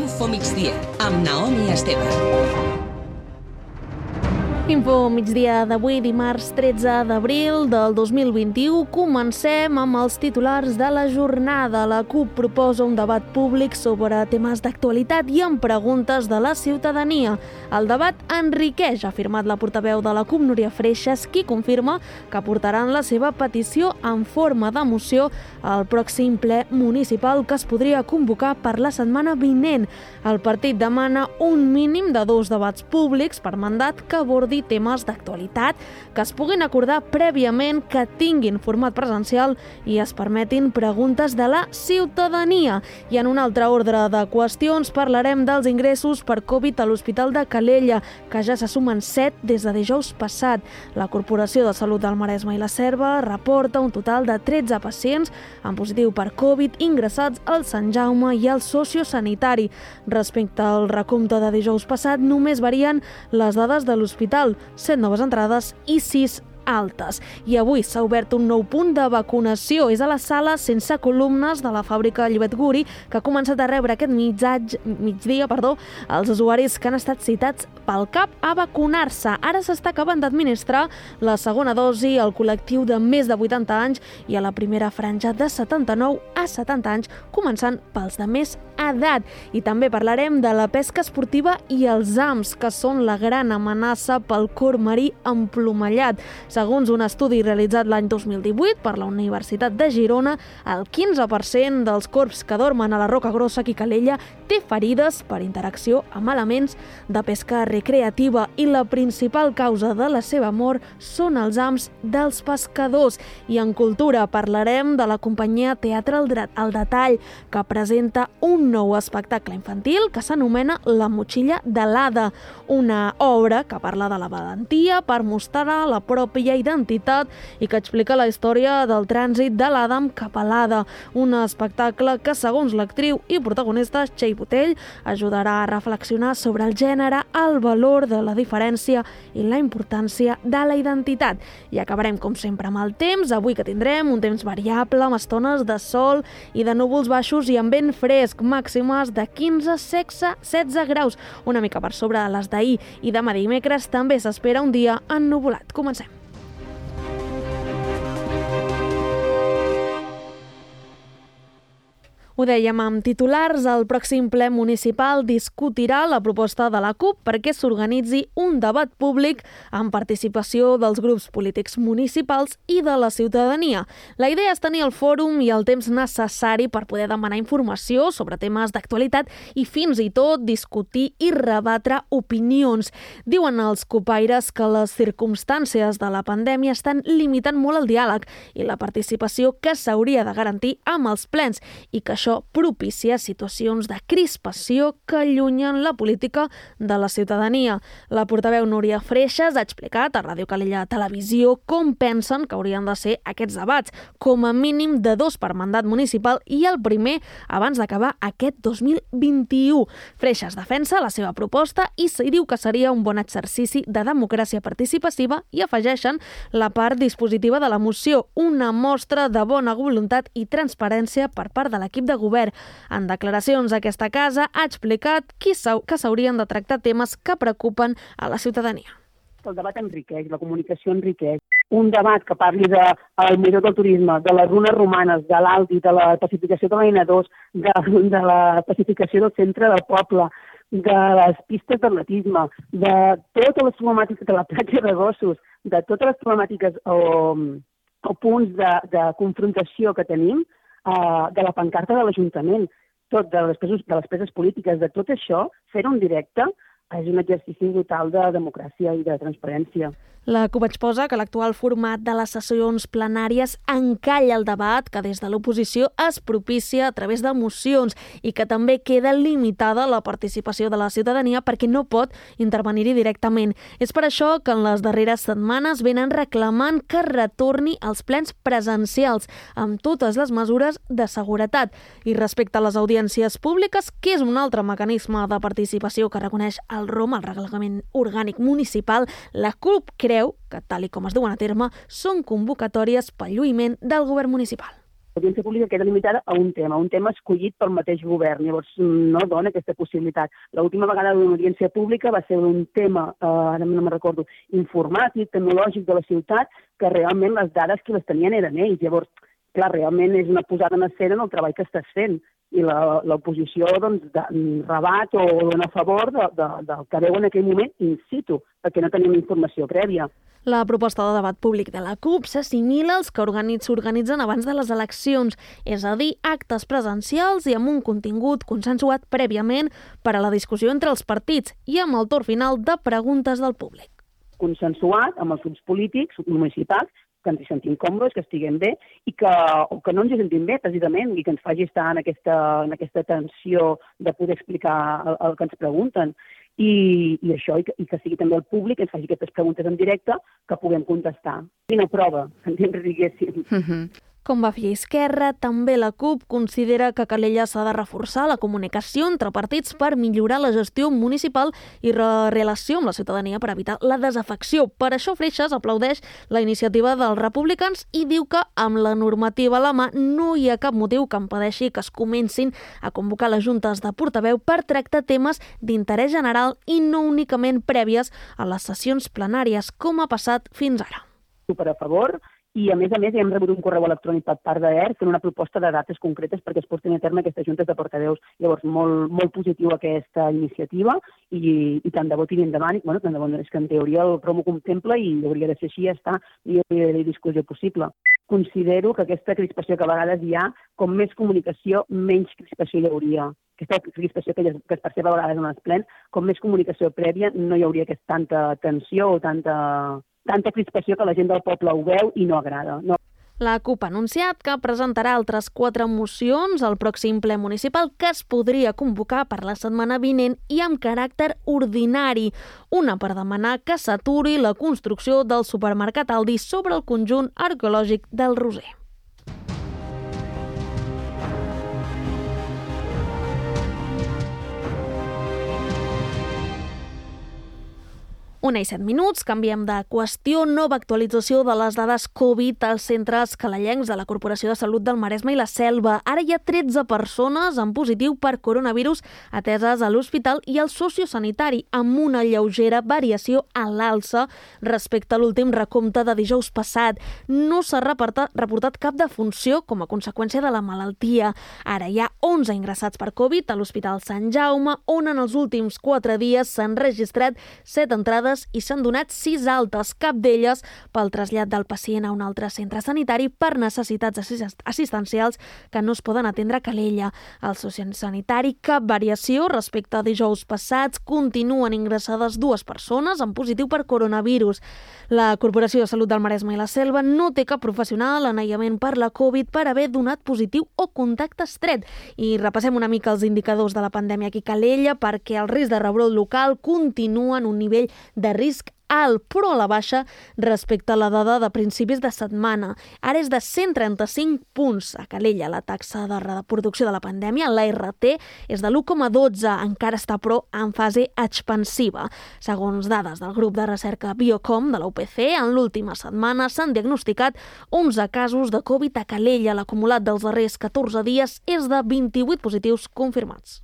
Info Migdia, amb Naomi Esteve. Info migdia d'avui, dimarts 13 d'abril del 2021. Comencem amb els titulars de la jornada. La CUP proposa un debat públic sobre temes d'actualitat i amb preguntes de la ciutadania. El debat enriqueix, ha afirmat la portaveu de la CUP, Núria Freixas, qui confirma que portaran la seva petició en forma de moció al pròxim ple municipal que es podria convocar per la setmana vinent. El partit demana un mínim de 2 debats públics per mandat que abordi temes d'actualitat, que es puguin acordar prèviament, que tinguin format presencial i es permetin preguntes de la ciutadania. I en un altre ordre de qüestions parlarem dels ingressos per Covid a l'Hospital de Calella, que ja se sumen 7 des de dijous passat. La Corporació de Salut del Maresme i la Selva reporta un total de 13 pacients en positiu per Covid ingressats al Sant Jaume i al sociosanitari. Respecte al recompte de dijous passat, només varien les dades de l'hospital, 7 noves entrades i 6 altes. I avui s'ha obert un nou punt de vacunació. És a la sala sense columnes de la fàbrica Llobet Guri, que ha començat a rebre aquest migdia els usuaris que han estat citats pel CAP a vacunar-se. Ara s'està acabant d'administrar la segona dosi al col·lectiu de més de 80 anys i a la primera franja de 79 a 70 anys, començant pels de més edat. I també parlarem de la pesca esportiva i els AMS, que són la gran amenaça pel corb marí emplomallat. Segons un estudi realitzat l'any 2018 per la Universitat de Girona, el 15% dels corbs que dormen a la Roca Grossa i Calella té ferides per interacció amb elements de pesca recreativa i la principal causa de la seva mort són els hams dels pescadors. I en cultura parlarem de la companyia Teatre al Detall, que presenta un nou espectacle infantil que s'anomena La motxilla de l'Ada, una obra que parla de la valentia per mostrar la pròpia identitat i que explica la història del trànsit de l'Adam cap a l'Ada. Un espectacle que, segons l'actriu i protagonista Txell Botell, ajudarà a reflexionar sobre el gènere, el valor de la diferència i la importància de la identitat. I acabarem, com sempre, amb el temps. Avui que tindrem un temps variable, amb estones de sol i de núvols baixos i amb vent fresc, màximes de 15 a 16 graus, una mica per sobre de les d'ahir. I demà dimecres també s'espera un dia ennuvolat. Comencem. Ho dèiem amb titulars, el pròxim ple municipal discutirà la proposta de la CUP perquè s'organitzi un debat públic amb participació dels grups polítics municipals i de la ciutadania. La idea és tenir el fòrum i el temps necessari per poder demanar informació sobre temes d'actualitat i fins i tot discutir i rebatre opinions. Diuen els cupaires que les circumstàncies de la pandèmia estan limitant molt el diàleg i la participació que s'hauria de garantir amb els plens i que això propicia situacions de crispació que allunyen la política de la ciutadania. La portaveu Núria Freixas ha explicat a Ràdio Calella Televisió com pensen que haurien de ser aquests debats, com a mínim de 2 per mandat municipal i el primer abans d'acabar aquest 2021. Freixas defensa la seva proposta i diu que seria un bon exercici de democràcia participativa i afegeixen la part dispositiva de la moció, una mostra de bona voluntat i transparència per part de l'equip de govern. En declaracions a aquesta casa ha explicat que s'haurien de tractar temes que preocupen a la ciutadania. El debat enriqueix, la comunicació enriqueix. Un debat que parli del Miró del Turisme, de les runes romanes, de l'Aldi, de la pacificació de la N2, de la pacificació del centre del poble, de les pistes d'atletisme, de totes les problemàtiques de la platja de gossos, de totes les problemàtiques o punts de confrontació que tenim, de la pancarta de l'Ajuntament, de les preses polítiques, de tot això, fer-ho en directe és un exercici brutal de democràcia i de transparència. La CUP exposa que l'actual format de les sessions plenàries encalla el debat que des de l'oposició es propicia a través de mocions i que també queda limitada la participació de la ciutadania perquè no pot intervenir-hi directament. És per això que en les darreres setmanes venen reclamant que retorni als plens presencials amb totes les mesures de seguretat. I respecte a les audiències públiques, que és un altre mecanisme de participació que reconeix el ROM, el Reglament Orgànic Municipal, la CUP creu que, tal com es duen a terme, són convocatòries pel lluïment del govern municipal. L'audiència pública queda limitada a un tema escollit pel mateix govern. Llavors, no dona aquesta possibilitat. L'última vegada d'una audiència pública va ser un tema, ara no me'n recordo, informàtic, tecnològic de la ciutat, que realment les dades que les tenien eren ells. Llavors, clar, realment és una posada en escena en el treball que estàs fent. I l'oposició rebat o dona a favor del que veu en aquell moment in situ, perquè no tenim informació prèvia. La proposta de debat públic de la CUP s'assimila als que s'organitzen abans de les eleccions, és a dir, actes presencials i amb un contingut consensuat prèviament per a la discussió entre els partits i amb el torn final de preguntes del públic. Consensuat amb els grups polítics municipals, que ens hi sentim còmodes, que estiguem bé, o que no ens hi sentim bé, precisament, i que ens faci estar en aquesta tensió de poder explicar el que ens pregunten. I això, i que sigui també el públic que ens faci aquestes preguntes en directe que puguem contestar. Quina prova, diguéssim. Com va fer Esquerra, també la CUP considera que a Calella s'ha de reforçar la comunicació entre partits per millorar la gestió municipal i la relació amb la ciutadania per evitar la desafecció. Per això Freixas aplaudeix la iniciativa dels republicans i diu que amb la normativa a la mà no hi ha cap motiu que impedeixi que es comencin a convocar les juntes de portaveu per tractar temes d'interès general i no únicament prèvies a les sessions plenàries, com ha passat fins ara. Super a favor. I, a més, hem rebut un correu electrònic per part d'ERC fent una proposta de dates concretes perquè es portin a terme aquestes juntes de portaveus. Llavors, molt positiu aquesta iniciativa i tant de bo tiri endavant. Bueno, tant de bo, és que en teoria el promo contempla i hauria de ser així, ja està, i hi hauria discussió possible. Considero que aquesta crispació que a vegades hi ha, com més comunicació, menys crispació hi hauria. Aquesta crispació que es percep a vegades en els plens, com més comunicació prèvia, no hi hauria tanta tensió o tanta crispació que la gent del poble ho veu i no agrada. No. La CUP ha anunciat que presentarà altres 4 mocions al pròxim ple municipal que es podria convocar per la setmana vinent i amb caràcter ordinari. Una per demanar que s'aturi la construcció del supermercat Aldi sobre el conjunt arqueològic del Roser. Una i 7 minuts, canviem de qüestió. Nova actualització de les dades Covid als centres calellencs de la Corporació de Salut del Maresme i la Selva. Ara hi ha 13 persones en positiu per coronavirus ateses a l'hospital i al sociosanitari, amb una lleugera variació a l'alça respecte a l'últim recompte de dijous passat. No s'ha reportat cap defunció com a conseqüència de la malaltia. Ara hi ha 11 ingressats per Covid a l'Hospital Sant Jaume, on en els últims 4 dies s'han registrat 7 entrades i s'han donat 6 altes, cap d'elles pel trasllat del pacient a un altre centre sanitari per necessitats assistencials que no es poden atendre a Calella. Al sociosanitari, cap variació respecte a dijous passats. Continuen ingressades 2 persones en positiu per coronavirus. La Corporació de Salut del Maresme i la Selva no té cap professional en aïllament per la Covid per haver donat positiu o contacte estret. I repassem una mica els indicadors de la pandèmia aquí a Calella perquè el risc de rebrot local continua en un nivell de risc alt, però a la baixa respecte a la dada de principis de setmana. Ara és de 135 punts a Calella. La taxa de reproducció de la pandèmia, la RT, és de l'1,12, encara està però en fase expansiva. Segons dades del grup de recerca Biocom de la UPC, en l'última setmana s'han diagnosticat 11 casos de Covid a Calella. L'acumulat dels darrers 14 dies és de 28 positius confirmats.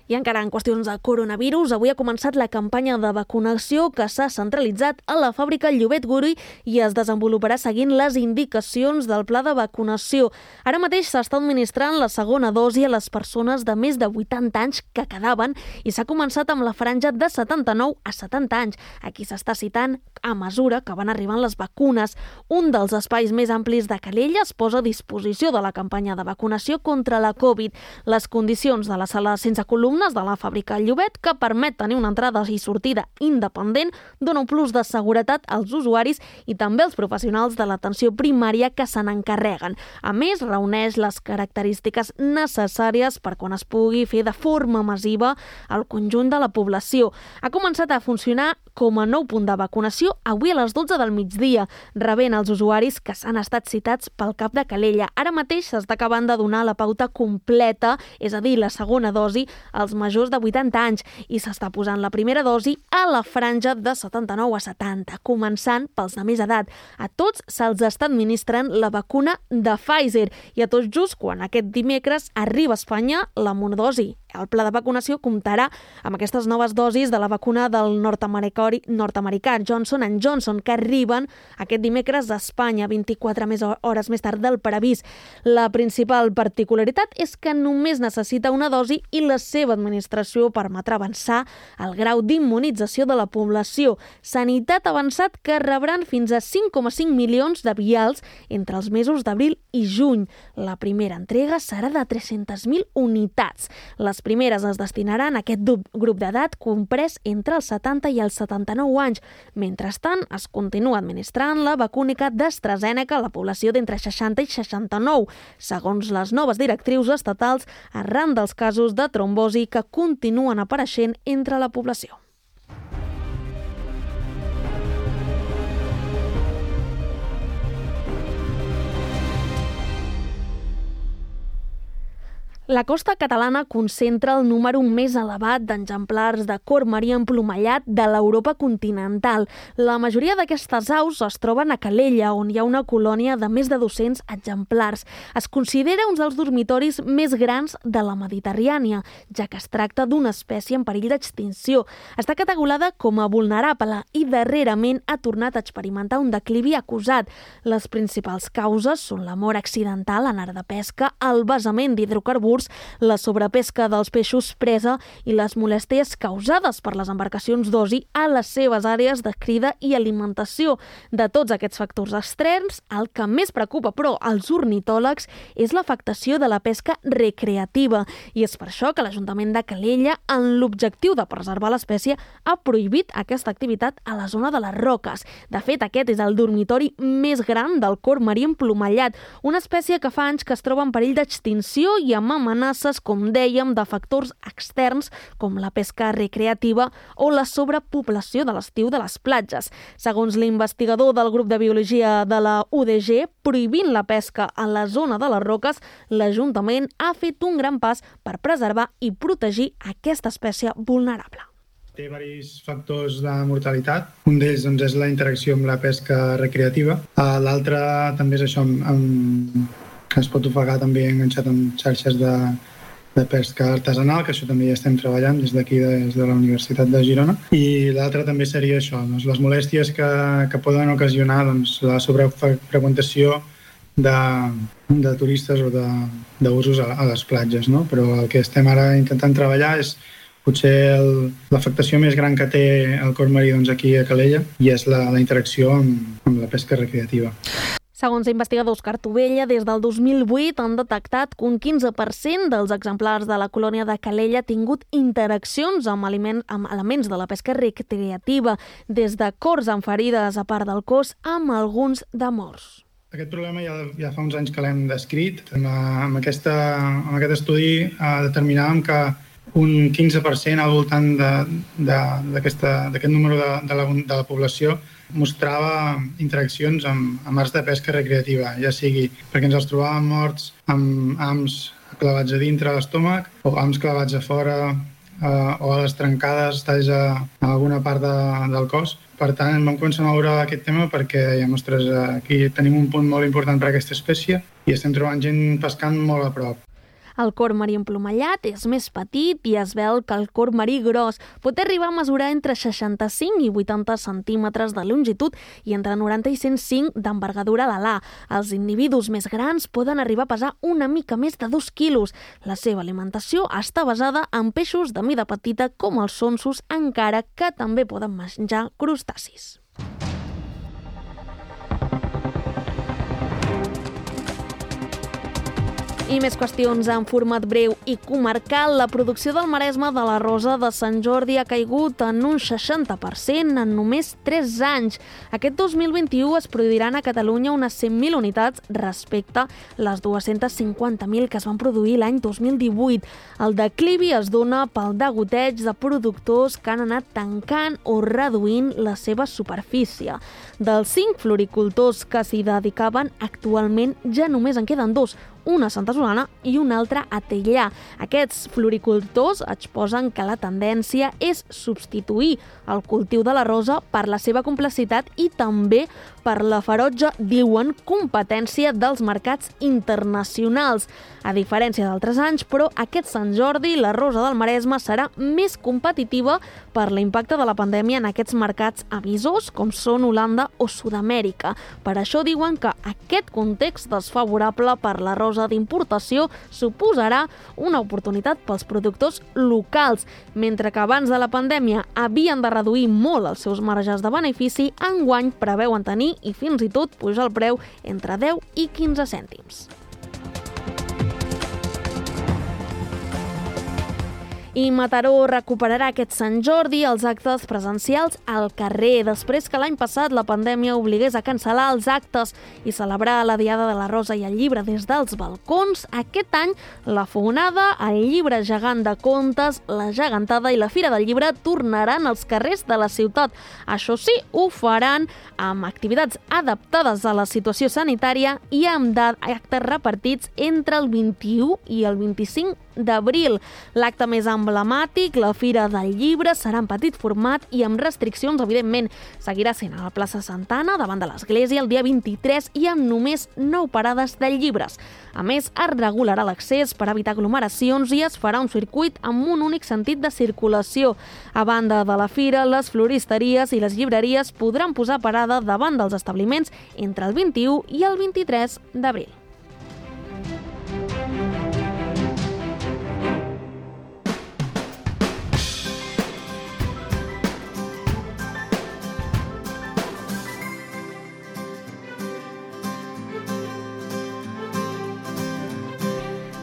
I encara en qüestions de coronavirus, avui ha començat la campanya de vacunació que s'ha centralitzat a la fàbrica Llobet Guri i es desenvoluparà seguint les indicacions del pla de vacunació. Ara mateix s'està administrant la segona dosi a les persones de més de 80 anys que quedaven i s'ha començat amb la franja de 79 a 70 anys. Aquí s'està citant a mesura que van arribant les vacunes. Un dels espais més amplis de Calella es posa a disposició de la campanya de vacunació contra la Covid. Les condicions de la sala sense columnes de la fàbrica Llobet, que permet tenir una entrada i sortida independent, dona un plus de seguretat als usuaris i també als professionals de l'atenció primària que se n'encarreguen. A més, reuneix les característiques necessàries per quan es pugui fer de forma massiva al conjunt de la població. Ha començat a funcionar com a nou punt de vacunació avui a les 12 del migdia, rebent els usuaris que s'han estat citats pel CAP de Calella. Ara mateix s'està acabant de donar la pauta completa, és a dir, la segona dosi, als majors de 80 anys i s'està posant la primera dosi a la franja de 79 a 70, començant pels de més edat. A tots se'ls està administrant la vacuna de Pfizer i a tots just quan aquest dimecres arriba a Espanya la monodosi. El pla de vacunació comptarà amb aquestes noves dosis de la vacuna del nord-americà Johnson & Johnson, que arriben aquest dimecres a Espanya, 24 hores més tard del previst. La principal particularitat és que només necessita una dosi i la seva administració permetrà avançar el grau d'immunització de la població. Sanitat ha avançat que rebran fins a 5,5 milions de vials entre els mesos d'abril i juny. La primera entrega serà de 300.000 unitats. Les primeres es destinaran a aquest grup d'edat comprès entre els 70 i els 79 anys. Mentrestant, es continua administrant la vacúnica d'AstraZeneca a la població d'entre 60 i 69, segons les noves directrius estatals arran dels casos de trombosi que continuen apareixent entre la població. La costa catalana concentra el número més elevat d'exemplars de corb marí emplomallat de l'Europa continental. La majoria d'aquestes aus es troben a Calella, on hi ha una colònia de més de 200 exemplars. Es considera un dels dormitoris més grans de la Mediterrània, ja que es tracta d'una espècie en perill d'extinció. Està catalogada com a vulnerable i darrerament ha tornat a experimentar un declivi acusat. Les principals causes són la mort accidental en art de pesca, el vessament d'hidrocarburs, la sobrepesca dels peixos presa i les molèsties causades per les embarcacions d'oci a les seves àrees de crida i alimentació. De tots aquests factors extrems, el que més preocupa, però, als ornitòlegs és l'afectació de la pesca recreativa. I és per això que l'Ajuntament de Calella, en l'objectiu de preservar l'espècie, ha prohibit aquesta activitat a la zona de les Roques. De fet, aquest és el dormitori més gran del corb marí emplomallat, una espècie que fa anys que es troba en perill d'extinció i amb amenaces, com dèiem, de factors externs com la pesca recreativa o la sobrepoblació de l'estiu de les platges. Segons l'investigador del grup de biologia de la UDG, prohibint la pesca a la zona de les Roques, l'Ajuntament ha fet un gran pas per preservar i protegir aquesta espècie vulnerable. Té diversos factors de mortalitat. Un d'ells és la interacció amb la pesca recreativa. L'altre també és això, que es pot ofegar també enganxat amb xarxes de pesca artesanal, que això també ja estem treballant des d'aquí, des de la Universitat de Girona. I l'altre també seria això, les molèsties que poden ocasionar la sobrefreqüentació de turistes o d'usos a les platges. No? Però el que estem ara intentant treballar és potser l'afectació més gran que té el corb marí aquí a Calella i és la interacció amb la pesca recreativa. Segons l'investigador Òscar Tovella, des del 2008 han detectat que un 15% dels exemplars de la colònia de Calella ha tingut interaccions amb elements de la pesca recreativa, des de corts amb ferides a part del cos, amb alguns de morts. Aquest problema ja fa uns anys que l'hem descrit. Amb aquest estudi determinàvem que un 15% al voltant d'aquest número de la població mostrava interaccions amb arts de pesca recreativa, ja sigui perquè ens els trobàvem morts amb hams clavats a dintre l'estómac o hams clavats a fora o a les trencades, talls a alguna part del cos. Per tant, vam començar a moure aquest tema perquè ostres, aquí tenim un punt molt important per a aquesta espècie i estem trobant gent pescant molt a prop. El corb marí emplomallat és més petit i es veu que el corb marí gros pot arribar a mesurar entre 65 i 80 centímetres de longitud i entre 90 i 105 d'envergadura d'alà. Els individus més grans poden arribar a pesar una mica més de 2 quilos. La seva alimentació està basada en peixos de mida petita com els sonsos, encara que també poden menjar crustacis. I més qüestions en format breu i comarcal. La producció del Maresme de la Rosa de Sant Jordi ha caigut en un 60% en només 3 anys. Aquest 2021 es produiran a Catalunya unes 100.000 unitats respecte a les 250.000 que es van produir l'any 2018. El declivi es dona pel degoteig de productors que han anat tancant o reduint la seva superfície. Dels 5 floricultors que s'hi dedicaven, actualment ja només en queden 2, una a Santa Solana i una altra a Teià. Aquests floricultors exposen que la tendència és substituir el cultiu de la rosa per la seva complexitat i també per la ferotge, diuen, competència dels mercats internacionals. A diferència d'altres anys, però, aquest Sant Jordi la rosa del Maresme serà més competitiva per l'impacte de la pandèmia en aquests mercats emissors, com són Holanda o Sud-amèrica. Per això diuen que aquest context desfavorable per la rosa d'importació suposarà una oportunitat pels productors locals. Mentre que abans de la pandèmia havien de reduir molt els seus marges de benefici, enguany preveuen tenir i fins i tot pujar el preu entre 10 i 15 cèntims. I Mataró recuperarà aquest Sant Jordi els actes presencials al carrer, després que l'any passat la pandèmia obligués a cancel·lar els actes i celebrar la Diada de la Rosa i el Llibre des dels balcons. Aquest any, la Fogonada, el Llibre gegant de contes, la Gegantada i la Fira del Llibre tornaran als carrers de la ciutat. Això sí, ho faran amb activitats adaptades a la situació sanitària i amb actes repartits entre el 21 i el 25 d'abril. L'acte més emblemàtic, la Fira del Llibre, serà en petit format i amb restriccions, evidentment. Seguirà sent a la plaça Santana, davant de l'església, el dia 23 i amb només 9 parades de llibres. A més, es regularà l'accés per evitar aglomeracions i es farà un circuit amb un únic sentit de circulació. A banda de la fira, les floristeries i les llibreries podran posar parada davant dels establiments entre el 21 i el 23 d'abril.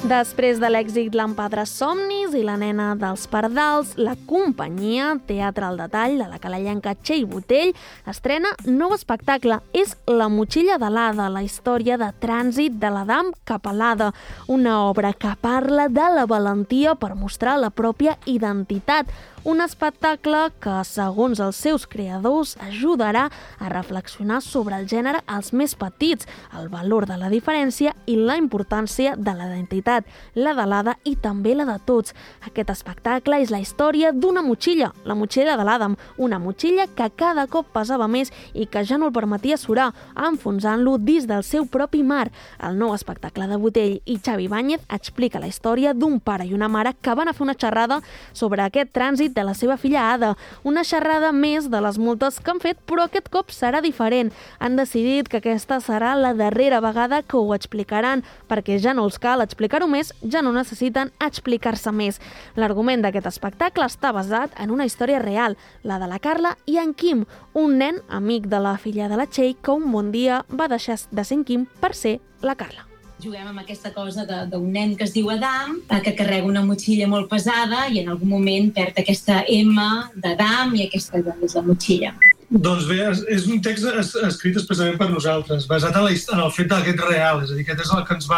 Després de l'èxit L'Empadres Somnis i La nena dels pardals, la companyia Teatre al Detall de la calellenca Txell Botell estrena nou espectacle. És La motxilla de l'Ada, la història de trànsit de l'Adam cap a l'Ada, una obra que parla de la valentia per mostrar la pròpia identitat. Un espectacle que, segons els seus creadors, ajudarà a reflexionar sobre el gènere als més petits, el valor de la diferència i la importància de la identitat, la de l'Ada i també la de tots. Aquest espectacle és la història d'una motxilla, la motxilla de l'Adam, una motxilla que cada cop pesava més i que ja no el permetia surar, enfonsant-lo dins del seu propi mar. El nou espectacle de Botell i Xavi Báñez explica la història d'un pare i una mare que van a fer una xerrada sobre aquest trànsit de la seva filla Ada. Una xerrada més de les moltes que han fet, però aquest cop serà diferent. Han decidit que aquesta serà la darrera vegada que ho explicaran, perquè ja no els cal explicar-ho més, ja no necessiten explicar-se més. L'argument d'aquest espectacle està basat en una història real, la de la Carla i en Quim, un nen amic de la filla de la Txell que un bon dia va deixar de ser en Quim per ser la Carla. Juguem amb aquesta cosa d'un nen que es diu Adam, que carrega una motxilla molt pesada i en algun moment perd aquesta M d'Adam i aquesta és la motxilla. Doncs bé, és un text escrit expressament per nosaltres, basat en el fet d'aquest real, és a dir, aquest és el que ens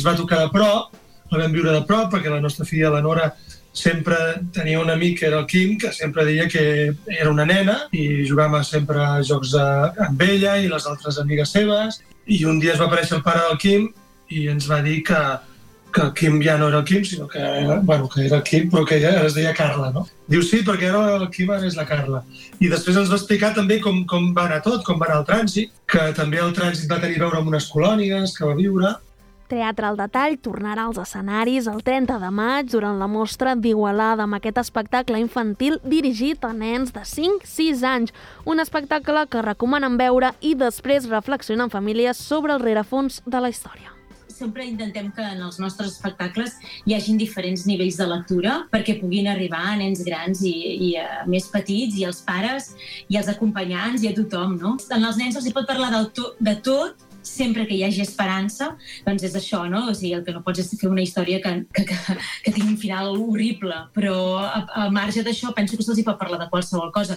va tocar de prop, el vam viure de prop, perquè la nostra filla, la Nora, sempre tenia un amic que era el Quim, que sempre deia que era una nena i jugàvem sempre a jocs amb ella i les altres amigues seves, i un dia es va aparèixer el pare del Quim i ens va dir que el Quim ja no era el Quim, sinó que era el Quim, però que ella es deia Carla, no? Diu sí, perquè ara el Quim ara és la Carla. I després ens va explicar també com va anar tot, com va anar el trànsit, que també el trànsit va tenir a veure amb unes colònies que va viure. Teatre al Detall tornarà als escenaris el 30 de maig durant la mostra d'Igualada amb aquest espectacle infantil dirigit a nens de 5-6 anys. Un espectacle que recomanen veure i després reflexionar en famílies sobre el rerefons de la història. Sempre intentem que en els nostres espectacles hi hagin diferents nivells de lectura perquè puguin arribar a nens grans i a més petits, i als pares, i als acompanyants, i a tothom, no? En els nens els hi pot parlar de tot, sempre que hi hagi esperança, doncs és això, no? O sigui, el que no pots és fer una història que tingui un final horrible, però al marge d'això penso que se'ls hi pot parlar de qualsevol cosa,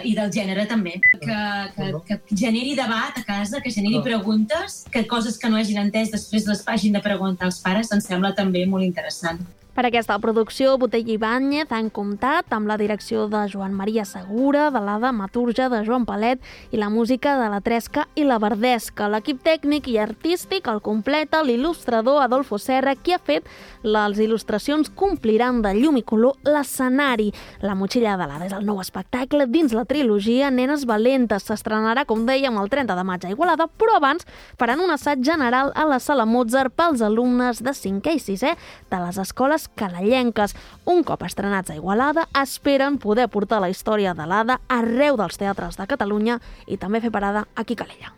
i del gènere també, que generi debat a casa, que generi preguntes, que coses que no hagin entès després les hagin de preguntar als pares, em sembla també molt interessant. Per aquesta producció, Botella i Ibáñez han comptat amb la direcció de Joan Maria Segura, de la dramaturgia de Joan Palet i la música de la Tresca i la Verdesca. L'equip tècnic i artístic el completa l'il·lustrador Adolfo Serra, qui ha fet les il·lustracions Compliran de llum i color l'escenari. La motxilla de l'Ada és el nou espectacle dins la trilogia Nenes Valentes. S'estrenarà, com dèiem, el 30 de maig a Igualada, però abans faran un assaig general a la Sala Mozart pels alumnes de 5è i 6è de les escoles calellenques. Un cop estrenats a Igualada, esperen poder portar la història de l'Ada arreu dels teatres de Catalunya i també fer parada aquí a Calella.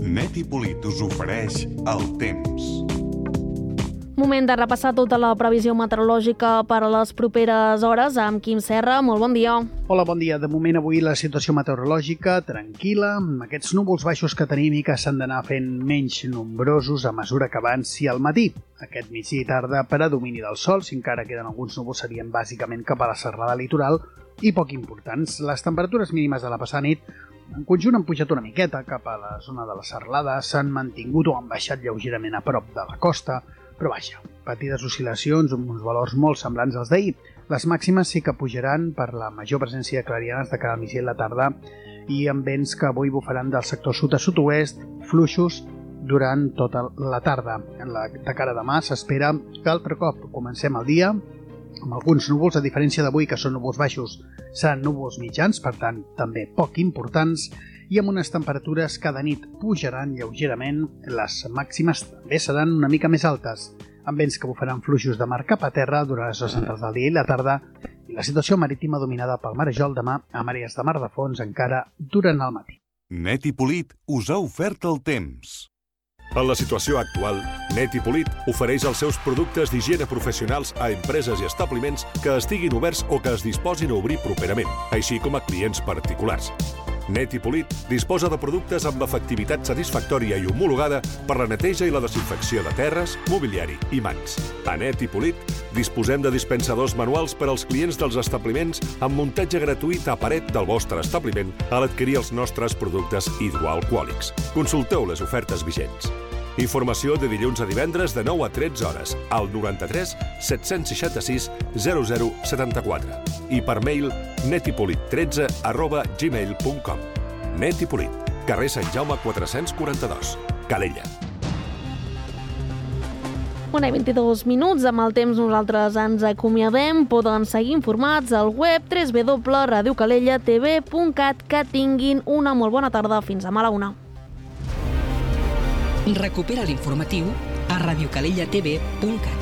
Net i Polit us ofereix el temps. Moment de repassar tota la previsió meteorològica per a les properes hores amb Quim Serra. Molt bon dia. Hola, bon dia. De moment avui la situació meteorològica tranquil·la, amb aquests núvols baixos que tenim i que s'han d'anar fent menys nombrosos a mesura que avanci al matí. Aquest migdia i tarda predomini del sol, si encara queden alguns núvols serien bàsicament cap a la serrada litoral i poc importants. Les temperatures mínimes de la passada nit en conjunt han pujat una miqueta cap a la zona de la serralada, s'han mantingut o han baixat lleugerament a prop de la costa, però vaja, petites oscil·lacions amb uns valors molt semblants als d'ahir. Les màximes sí que pujaran per la major presència de clarianes de cara al migdia i la tarda i amb vents que avui bufaran del sector sud a sud-oest, fluixos durant tota la tarda. De cara a demà s'espera que altre cop comencem el dia amb alguns núvols, a diferència d'avui que són núvols baixos, seran núvols mitjans, per tant també poc importants, i amb unes temperatures que de nit pujaran lleugerament, les màximes també seran una mica més altes, amb vents que bufaran fluixos de mar cap a terra durant les hores centrals del dia i la tarda, i la situació marítima dominada pel marejol demà a marees de mar de fons encara durant el matí. Net i Polit us ha ofert el temps. En la situació actual, Net i Polit ofereix els seus productes d'higiene professionals a empreses i establiments que estiguin oberts o que es disposin a obrir properament, així com a clients particulars. Net i Polit disposa de productes amb efectivitat satisfactòria i homologada per la neteja i la desinfecció de terres, mobiliari i mans. A Net i Polit disposem de dispensadors manuals per als clients dels establiments amb muntatge gratuït a paret del vostre establiment a l'adquirir els nostres productes hidroalcohòlics. Consulteu les ofertes vigents. Informació de dilluns a divendres de 9 a 13 hores al 93 766 0074 i per mail netipolit13@gmail.com. Net i Polit, carrer Sant Jaume 442, Calella. 1:22. Amb el temps nosaltres ens acomiadem. Poden seguir informats al web www.radiocalellatv.cat. Que tinguin una molt bona tarda. Fins demà a la 1. Recupera l'informatiu a radiocalellatv.cat.